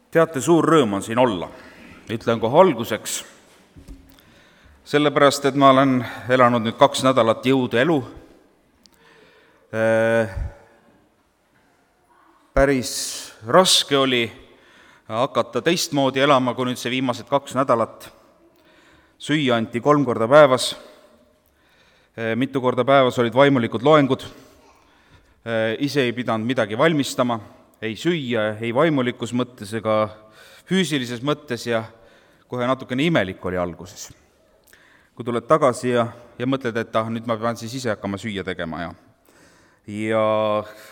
Teate, suur rõõm on siin olla. Ütlen kohe alguseks, sellepärast, et ma olen elanud nüüd 2 nädalat jõudu elu. Päris raske oli hakata teistmoodi elama, kui nüüd see viimased 2 nädalat. Süüa anti 3 korda päevas, mitu korda päevas olid vaimulikud loengud, ise ei pidanud midagi valmistama, ei süüa, ei vaimulikus mõttes ega füüsilises mõttes ja kohe natukene imelik oli alguses. Kui tuled tagasi ja mõtled, et nüüd ma pean siis ise hakkama süüa tegema ja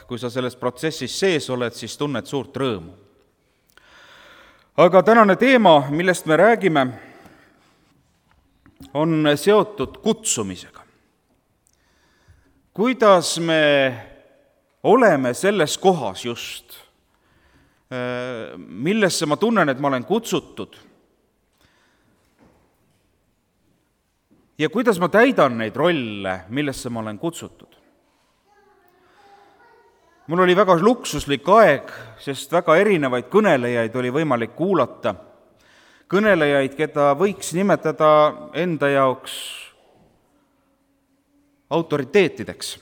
kui sa selles protsessis sees oled, siis tunned suurt rõõmu. Aga tänane teema, millest me räägime, on seotud kutsumisega. Kuidas me oleme selles kohas just, millesse ma tunnen, et ma olen kutsutud, ja kuidas ma täidan neid rolle, millesse ma olen kutsutud. Mul oli väga luksuslik aeg, sest väga erinevaid kõnelejaid oli võimalik kuulata. Kõnelejaid, keda võiks nimetada enda jaoks autoriteetideks.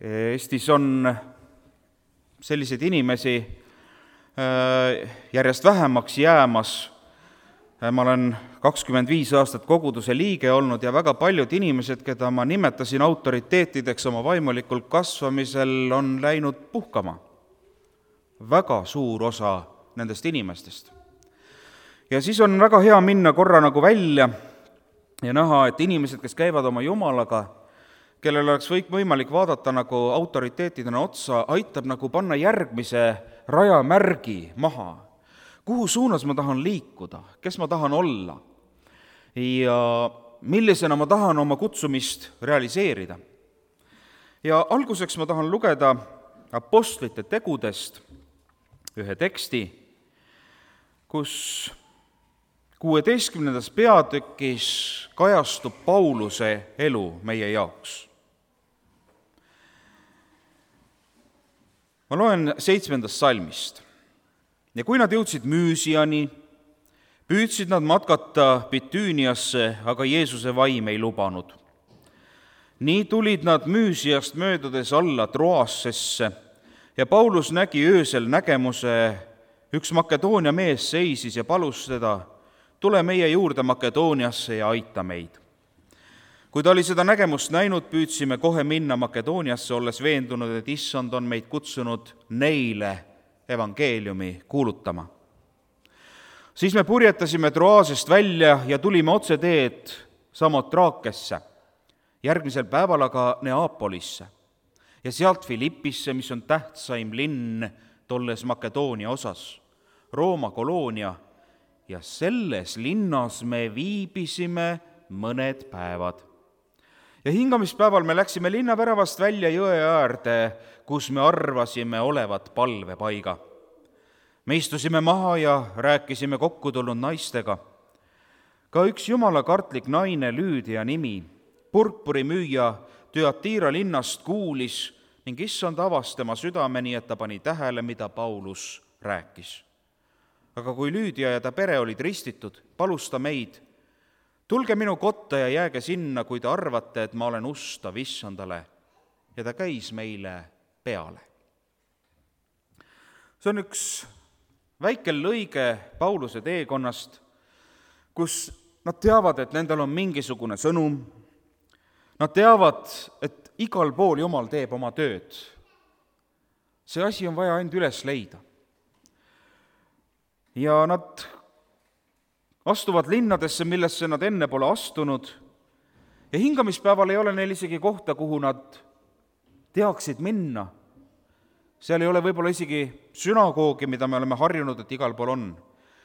Eestis on selliseid inimesi järjest vähemaks jäämas. Ma olen 25 aastat koguduse liige olnud ja väga paljud inimesed, keda ma nimetasin autoriteetideks oma vaimulikul kasvamisel, on läinud puhkama. Väga suur osa nendest inimestest. Ja siis on väga hea minna korra nagu välja ja näha, et inimesed, kes käivad oma Jumalaga, kellel oleks võimalik vaadata nagu autoriteetidena otsa, aitab nagu panna järgmise rajamärgi maha. Kuhu suunas ma tahan liikuda, kes ma tahan olla ja millisena ma tahan oma kutsumist realiseerida. Ja alguseks ma tahan lugeda Apostlite tegudest ühe teksti, kus 16. peatükis kajastub Pauluse elu meie jaoks. Ma loen 7. salmist. Ja kui nad jõudsid Müüsiani, püüdsid nad matkata Bitüüniasse, aga Jeesuse vaim ei lubanud. Nii tulid nad Müüsiast möödudes alla Troassesse ja Paulus nägi öösel nägemuse, üks Makedoonia mees seisis ja palus teda, tule meie juurde Makedooniasse ja aita meid. Kui ta oli seda nägemust näinud, püüdsime kohe minna Makedooniasse, olles veendunud, et Issand on meid kutsunud neile evangeeliumi kuulutama. Siis me purjetasime Troasest välja ja tulime otse teed Samotrakesse, järgmisel päeval aga Neapolisse ja sealt Filippisse, mis on tähtsaim linn tolles Makedoonia osas, Rooma koloonia, ja selles linnas me viibisime mõned päevad. Ja hingamispäeval me läksime linnaväravast välja jõe äärde, kus me arvasime olevat palvepaiga. Me istusime maha ja rääkisime kokku tulnud naistega. Ka üks jumalakartlik naine, Lüüdia nimi, purpurimüüja Thyatira linnast kuulis ning Issand avas tema südameni, et ta pani tähele, mida Paulus rääkis. Aga kui Lüüdia ja ta pere olid ristitud, palus ta meid, tulge minu kotta ja jääge sinna, kui te arvate, et ma olen ustav Issandale, ja ta käis meile peale. See on üks väike lõige Pauluse teekonnast, kus nad teavad, et nendel on mingisugune sõnum, nad teavad, et igal pool Jumal teeb oma tööd. See asi on vaja ainult üles leida. Ja nad astuvad linnadesse, millesse nad enne pole astunud, ja hingamispäeval ei ole neil isegi kohta, kuhu nad teaksid minna. Seal ei ole võib-olla isegi sünagoogi, mida me oleme harjunud, et igal pool on.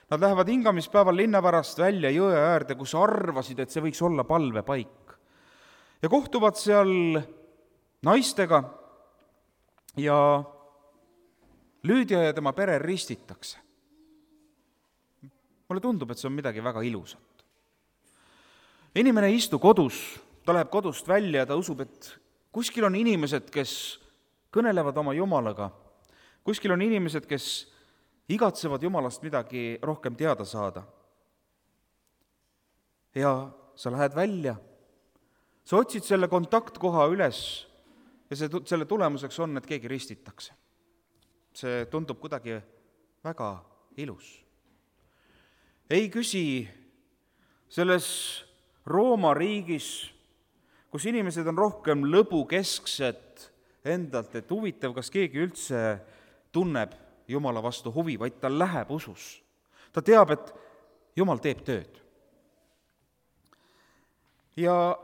Nad lähevad hingamispäeval linnavärast välja jõe äärde, kus arvasid, et see võiks olla palvepaik. Ja kohtuvad seal naistega ja Lüüdia ja tema pere ristitakse. Mulle tundub, et see on midagi väga ilusat. Inimene ei istu kodus, ta läheb kodust välja ja ta usub, et kuskil on inimesed, kes kõnelevad oma Jumalaga, Kuskil on inimesed, kes igatsevad Jumalast midagi rohkem teada saada. Ja sa lähed välja, sa otsid selle kontaktkoha üles ja selle tulemuseks on, et keegi ristitakse. See tundub kuidagi väga ilus. Ei küsi selles Rooma riigis, kus inimesed on rohkem lõbukesksed endalt, et huvitav, kas keegi üldse tunneb Jumala vastu huvi, vaid ta läheb usus. Ta teab, et Jumal teeb tööd. Ja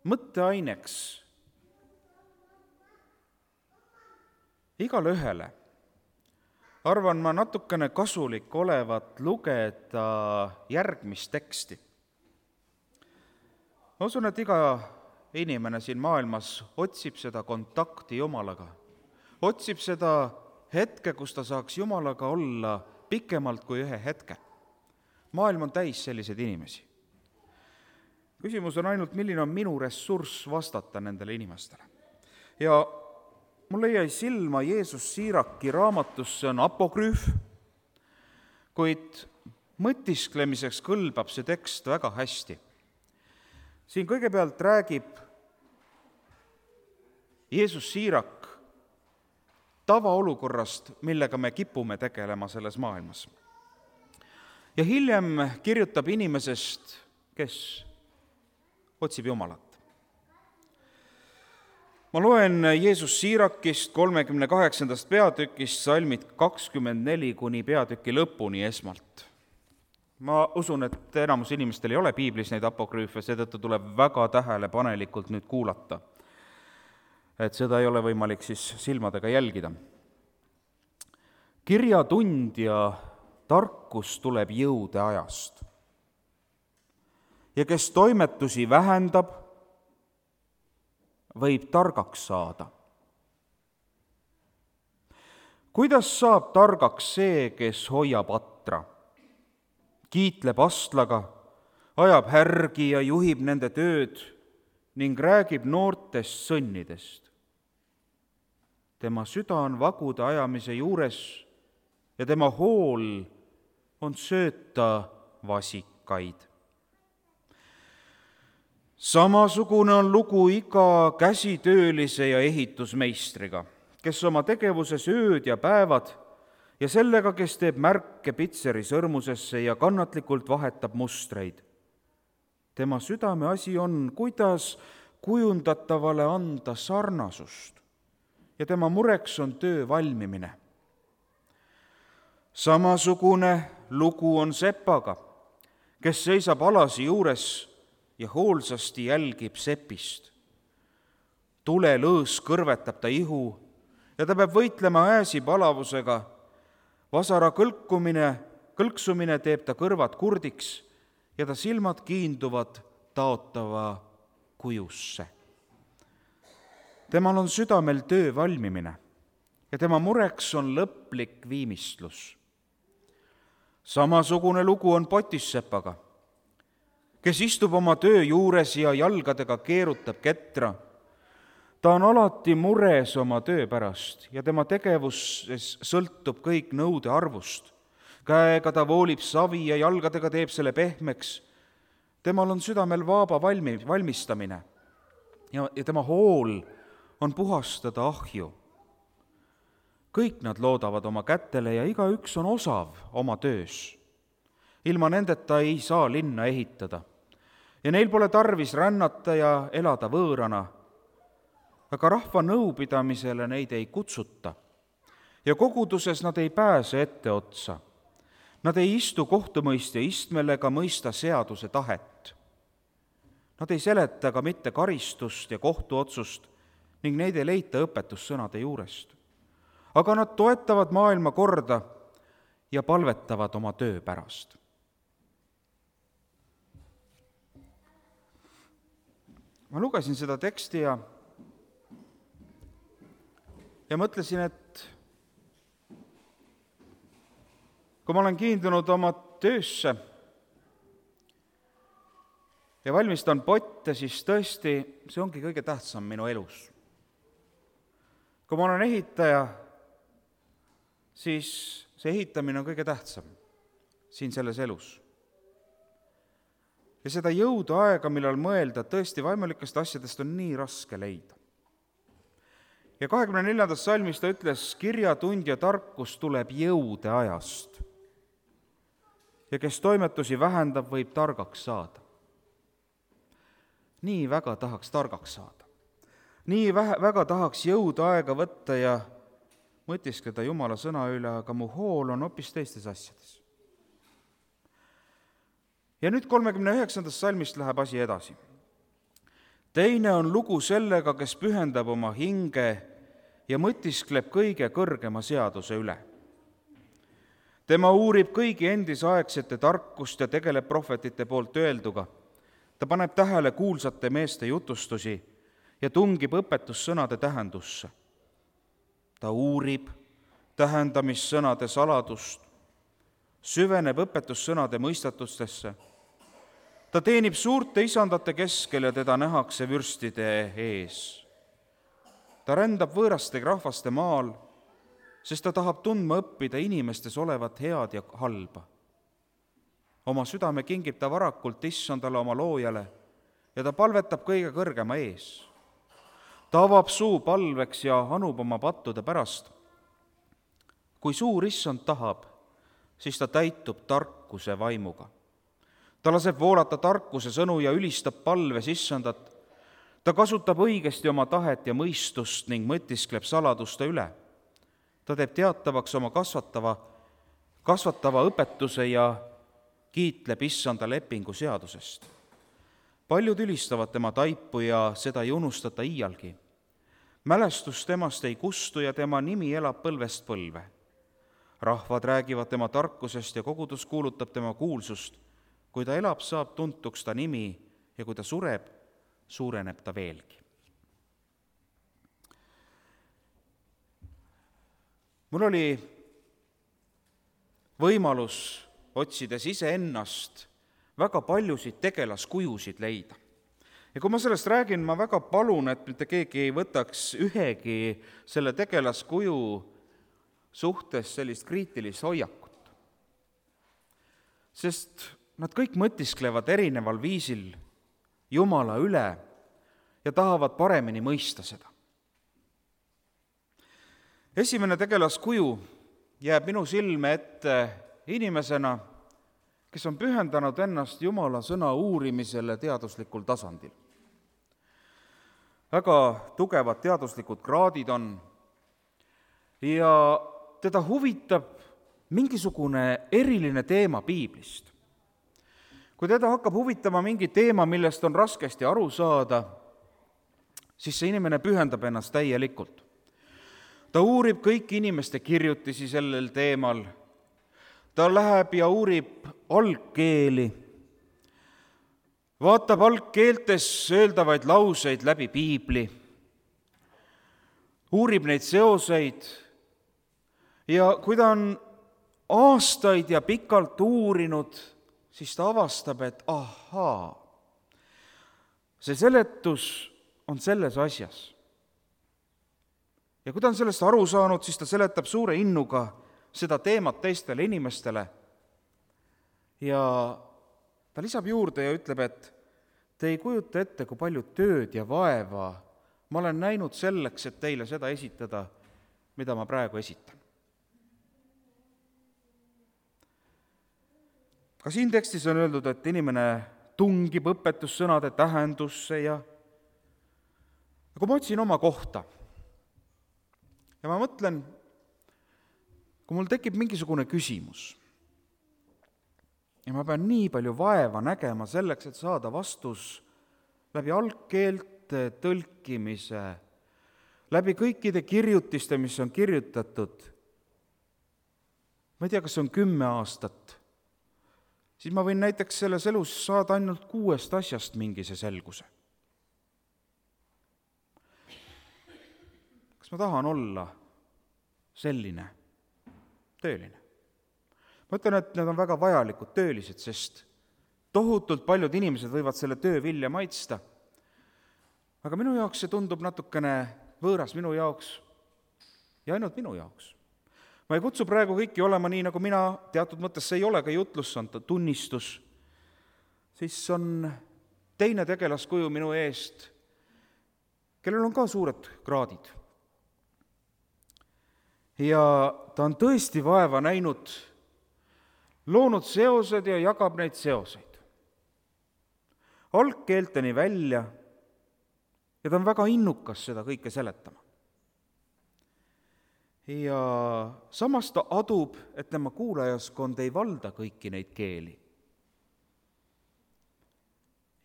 mõtteaineks igale ühele arvan ma natukene kasulik olevat lugeda järgmist teksti. Ma usun, et iga inimene siin maailmas otsib seda kontakti Jumalaga, otsib seda hetke, kus ta saaks Jumalaga olla pikemalt kui ühe hetke. Maailm on täis selliseid inimesi. Küsimus on ainult, milline on minu ressurss vastata nendele inimestele. Ja mulle jäi silma Jeesus Siiraki raamatus, see on apokrüüf, kuid mõtisklemiseks kõlbab see tekst väga hästi. Siin kõigepealt räägib Jeesus Siirak tavaolukorrast, millega me kipume tegelema selles maailmas. Ja hiljem kirjutab inimesest, kes otsib Jumalat. Ma loen Jeesus Siirakist 38. peatükist salmid 24 kuni peatüki lõpuni esmalt. Ma usun, et enamus inimestel ei ole piiblis neid apokrüüfe, seetõttu tuleb väga tähelepanelikult nüüd kuulata. Et seda ei ole võimalik siis silmadega jälgida. Kirjatundja tarkus tuleb jõude ajast. Ja kes toimetusi vähendab, võib targaks saada. Kuidas saab targaks see, kes hoiab atra, kiitleb astlaga, ajab härgi ja juhib nende tööd ning räägib noortest sõnnidest? Tema süda on vagude ajamise juures ja tema hool on sööta vasikaid. Samasugune on lugu iga käsitöölise ja ehitusmeistriga, kes oma tegevuses ööd ja päevad ja sellega, kes teeb märke pitseri sõrmusesse ja kannatlikult vahetab mustreid. Tema südame asi on, kuidas kujundatavale anda sarnasust ja tema mureks on töö valmimine. Samasugune lugu on sepaga, kes seisab alasi juures ja hoolsasti jälgib sepist. Tulelõõs kõrvetab ta ihu ja ta peab võitlema ääsi palavusega. Vasara kõlksumine teeb ta kõrvad kurdiks ja ta silmad kiinduvad taotava kujusse. Temal on südamel töö valmimine ja tema mureks on lõplik viimistlus. Samasugune lugu on potissepaga, kes istub oma töö juures ja jalgadega keerutab ketra. Ta on alati mures oma töö pärast ja tema tegevuses sõltub kõik nõude arvust. Käega ta voolib savi ja jalgadega teeb selle pehmeks. Temal on südamel vaaba valmistamine ja tema hool on puhastada ahju. Kõik nad loodavad oma kätele ja igaüks on osav oma töös. Ilma nendeta ei saa linna ehitada ja neil pole tarvis rännata ja elada võõrana, aga rahva nõupidamisele neid ei kutsuta ja koguduses nad ei pääse etteotsa. Nad ei istu kohtumõistja istmel ega mõista seaduse tahet. Nad ei seleta ka mitte karistust ja kohtuotsust ning neid ei leita õpetussõnade juurest. Aga nad toetavad maailma korda ja palvetavad oma töö pärast. Ma lugesin seda teksti ja mõtlesin, et kui ma olen kiindunud oma töösse ja valmistan potte, siis tõesti see ongi kõige tähtsam minu elus. kui ma olen ehitaja, siis see ehitamine on kõige tähtsam siin selles elus. Ja seda jõudu aega, millal mõelda, tõesti vaimulikest asjadest on nii raske leida. Ja 24. salmis ta ütles, kirjatundja tarkus tuleb jõude ajast. Ja kes toimetusi vähendab, võib targaks saada. Nii väga tahaks targaks saada. Nii väga tahaks jõudu aega võtta ja mõtiskleda Jumala sõna üle, aga mu hool on hoopis teistes asjades. Ja nüüd 39. salmist läheb asi edasi. Teine on lugu sellega, kes pühendab oma hinge ja mõtiskleb kõige kõrgema seaduse üle. Tema uurib kõigi endisaegsete tarkust ja tegeleb prohvetite poolt öelduga. Ta paneb tähele kuulsate meeste jutustusi ja tungib õpetussõnade tähendusse. Ta uurib tähendamissõnade saladust, süveneb õpetussõnade mõistatustesse. Ta teenib suurte isandate keskel ja teda nähakse vürstide ees. Ta rändab võõraste rahvaste maal, sest ta tahab tundma õppida inimestes olevat head ja halba. Oma südame kingib ta varakult issandale oma loojale ja ta palvetab kõige kõrgema ees. Ta avab suu palveks ja anub oma pattude pärast. Kui suur issand tahab, siis ta täitub tarkuse vaimuga. Ta laseb voolata tarkuse sõnu ja ülistab palves issandat. Ta kasutab õigesti oma tahet ja mõistust ning mõtiskleb saladuste üle. Ta teeb teatavaks oma kasvatava õpetuse ja kiitleb issanda lepingu seadusest. Paljud ülistavad tema taipu ja seda ei unustata iialgi. Mälestus temast ei kustu ja tema nimi elab põlvest põlve. Rahvad räägivad tema tarkusest ja kogudus kuulutab tema kuulsust. Kui ta elab, saab tuntuks ta nimi ja kui ta sureb, suureneb ta veelgi. Mul oli võimalus otsides iseennast väga paljusid tegelaskujusid leida. Ja kui ma sellest räägin, ma väga palun, et mitte keegi ei võtaks ühegi selle tegelaskuju suhtes sellist kriitilist hoiakut. Sest nad kõik mõtisklevad erineval viisil Jumala üle ja tahavad paremini mõista seda. Esimene tegelaskuju jääb minu silme ette inimesena, kes on pühendanud ennast Jumala sõna uurimisele teaduslikul tasandil. Väga tugevad teaduslikud kraadid on ja teda huvitab mingisugune eriline teema piiblist. Kui teda hakkab huvitama mingi teema, millest on raskesti aru saada, siis see inimene pühendab ennast täielikult. Ta uurib kõiki inimeste kirjutisi sellel teemal. Ta läheb ja uurib algkeeli, vaatab algkeeltes öeldavaid lauseid läbi piibli, uurib neid seoseid ja kui ta on aastaid ja pikalt uurinud, siis ta avastab, et ahaa, see seletus on selles asjas. Ja kui ta on sellest aru saanud, siis ta seletab suure innuga seda teemat teistele inimestele ja ta lisab juurde ja ütleb, et te ei kujuta ette, kui palju tööd ja vaeva ma olen näinud selleks, et teile seda esitada, mida ma praegu esitan. Ka siin tekstis on öeldud, et inimene tungib õpetussõnade tähendusse ja kui ma otsin oma kohta ja ma mõtlen, kui mul tekib mingisugune küsimus ja ma pean nii palju vaeva nägema selleks, et saada vastus läbi algkeelte tõlkimise, läbi kõikide kirjutiste, mis on kirjutatud, ma ei tea, kas see on 10 aastat, siis ma võin näiteks selles elus saada ainult 6 asjast mingise selguse. Kas ma tahan olla selline tööline? Ma ütlen, et need on väga vajalikud töölised, sest tohutult paljud inimesed võivad selle töö vilja maitsta. Aga minu jaoks see tundub natukene võõras, minu jaoks ja ainult minu jaoks. Ma ei kutsu praegu kõiki olema nii, nagu mina, teatud mõttes see ei ole ka jutlus, see on tunnistus, siis on teine tegelaskuju minu eest, kellel on ka suured kraadid. Ja ta on tõesti vaeva näinud, loonud seosed ja jagab neid seoseid. Algkeelteni välja ja ta on väga innukas seda kõike seletama. Ja samas ta adub, et tema kuulajaskond ei valda kõiki neid keeli.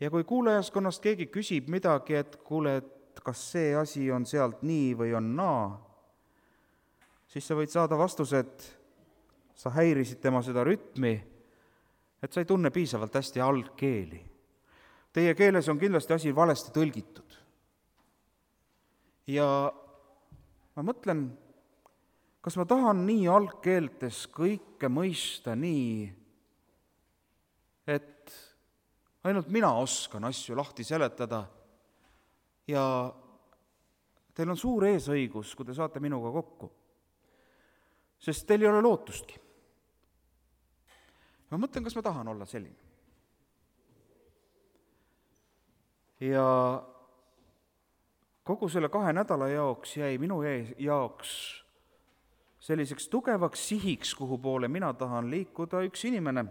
Ja kui kuulajaskonnast keegi küsib midagi, et kuule, et kas see asi on sealt nii või on naa, siis sa võid saada vastuse, et sa häirisid tema seda rütmi, et sa ei tunne piisavalt hästi algkeeli. Teie keeles on kindlasti asi valesti tõlgitud. Ja ma mõtlen, kas ma tahan nii algkeeltes kõike mõista nii, et ainult mina oskan asju lahti seletada ja teil on suur eesõigus, kui te saate minuga kokku, sest teil ei ole lootustki. Ma mõtlen, kas ma tahan olla selline. Ja kogu selle 2 nädala jaoks jäi minu jaoks selliseks tugevaks sihiks, kuhu poole mina tahan liikuda, üks inimene,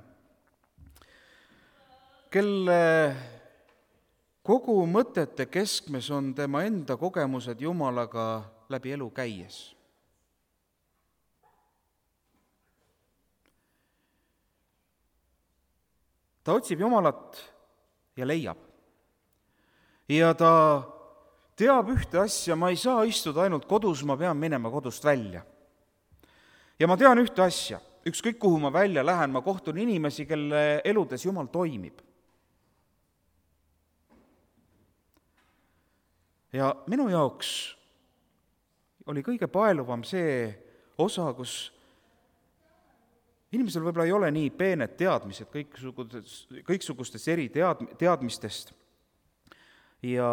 kelle kogu mõtete keskmes on tema enda kogemused Jumalaga läbi elu käies. Ta otsib Jumalat ja leiab. Ja ta teab ühte asja, ma ei saa istuda ainult kodus, ma pean minema kodust välja. Ja ma tean ühte asja, ükskõik kuhu ma välja lähen, ma kohtun inimesi, kelle eludes Jumal toimib. Ja minu jaoks oli kõige paeluvam see osa, kus inimesel võib-olla ei ole nii peened teadmised kõiksugustest eri teadmistest. Ja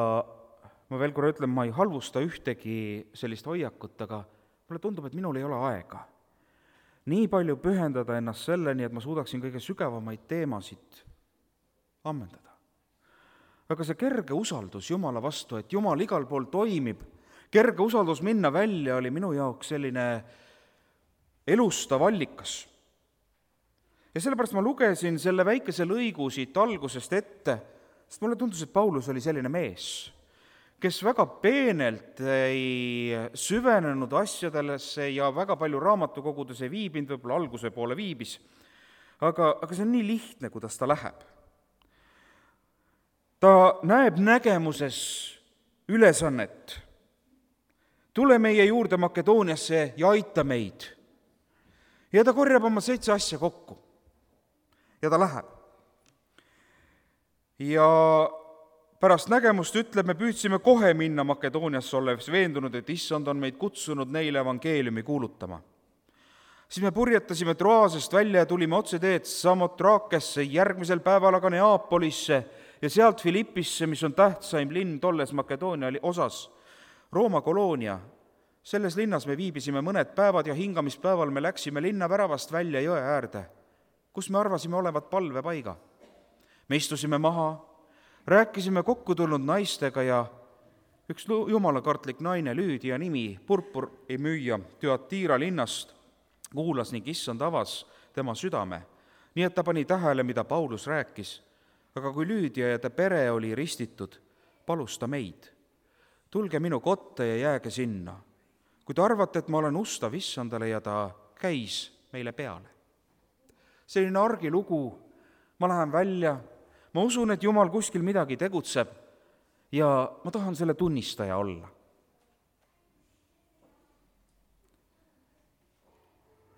ma veel korra ütlen, ma ei halvusta ühtegi sellist hoiakut, aga mulle tundub, et minul ei ole aega nii palju pühendada ennast selleni, et ma suudaksin kõige sügavamaid teemasid ammendada. Aga see kerge usaldus Jumala vastu, et Jumal igal pool toimib, kerge usaldus minna välja oli minu jaoks selline elustav allikas. Ja sellepärast ma lugesin selle väikese lõigu siit algusest ette, sest mulle tundus, et Paulus oli selline mees, kes väga peenelt ei süvenenud asjadesse ja väga palju raamatukogudes ei viibinud, võib-olla alguse poole viibis, aga see on nii lihtne, kuidas ta läheb. Ta näeb nägemuses ülesannet. Tule meie juurde Makedooniasse ja aita meid. Ja ta korjab oma 7 asja kokku. Ja ta läheb. Ja pärast nägemust ütleb, me püüdsime kohe minna Makedooniasse, olles veendunud, et Issand on meid kutsunud neile evangeeliumi kuulutama. Siis me purjetasime Troasest välja ja tulime otse teed Samotrakesse, järgmisel päeval aga Neapolisse ja sealt Filippisse, mis on tähtsaim linn tolles Makedoonia osas, Rooma koloonia. Selles linnas me viibisime mõned päevad ja hingamispäeval me läksime linna väravast välja jõe äärde, kus me arvasime olevat palvepaiga. Me istusime maha, rääkisime kokku tulnud naistega ja üks jumalakartlik naine, Lüüdia nimi, purpuri müüja Tüatira linnast, kuulas ning Issand avas tema südame, nii et ta pani tähele, mida Paulus rääkis. Aga kui Lüüdia ja ta pere oli ristitud, palus ta meid. Tulge minu kotta ja jääge sinna. Kui te arvate, et ma olen ustav Issandale ja ta käis meile peale. Selline argilugu, ma lähen välja, ma usun, et Jumal kuskil midagi tegutseb ja ma tahan selle tunnistaja olla.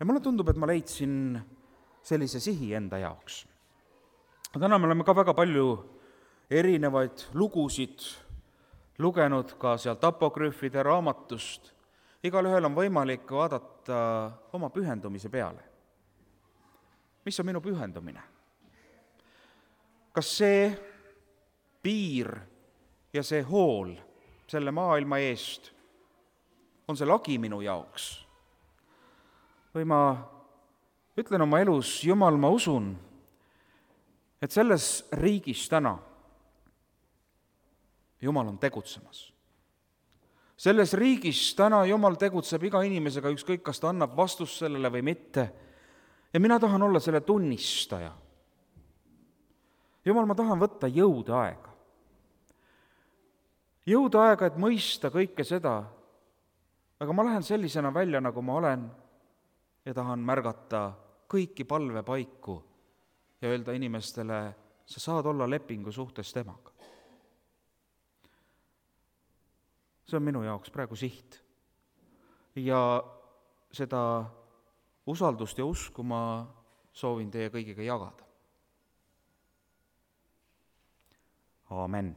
Ja mulle tundub, et ma leidsin sellise sihi enda jaoks. Täna me oleme ka väga palju erinevaid lugusid lugenud ka sealt apokrüüfide raamatust. Igalühel on võimalik vaadata oma pühendumise peale. Mis on minu pühendumine? Kas see piir ja see hool selle maailma eest on see lagi minu jaoks. Või ma ütlen oma elus, Jumal, ma usun, et selles riigis täna Jumal on tegutsemas. Selles riigis täna Jumal tegutseb iga inimesega, ükskõik, kas ta annab vastust sellele või mitte. Ja mina tahan olla selle tunnistaja. Jumal, ma tahan võtta jõudaega. Jõudaega, et mõista kõike seda, aga ma lähen sellisena välja, nagu ma olen, ja tahan märgata kõiki palvepaiku ja öelda inimestele, sa saad olla lepingu suhtes temaga. See on minu jaoks praegu siht. Ja seda usaldust ja usku ma soovin teie kõigiga jagada. Aamen.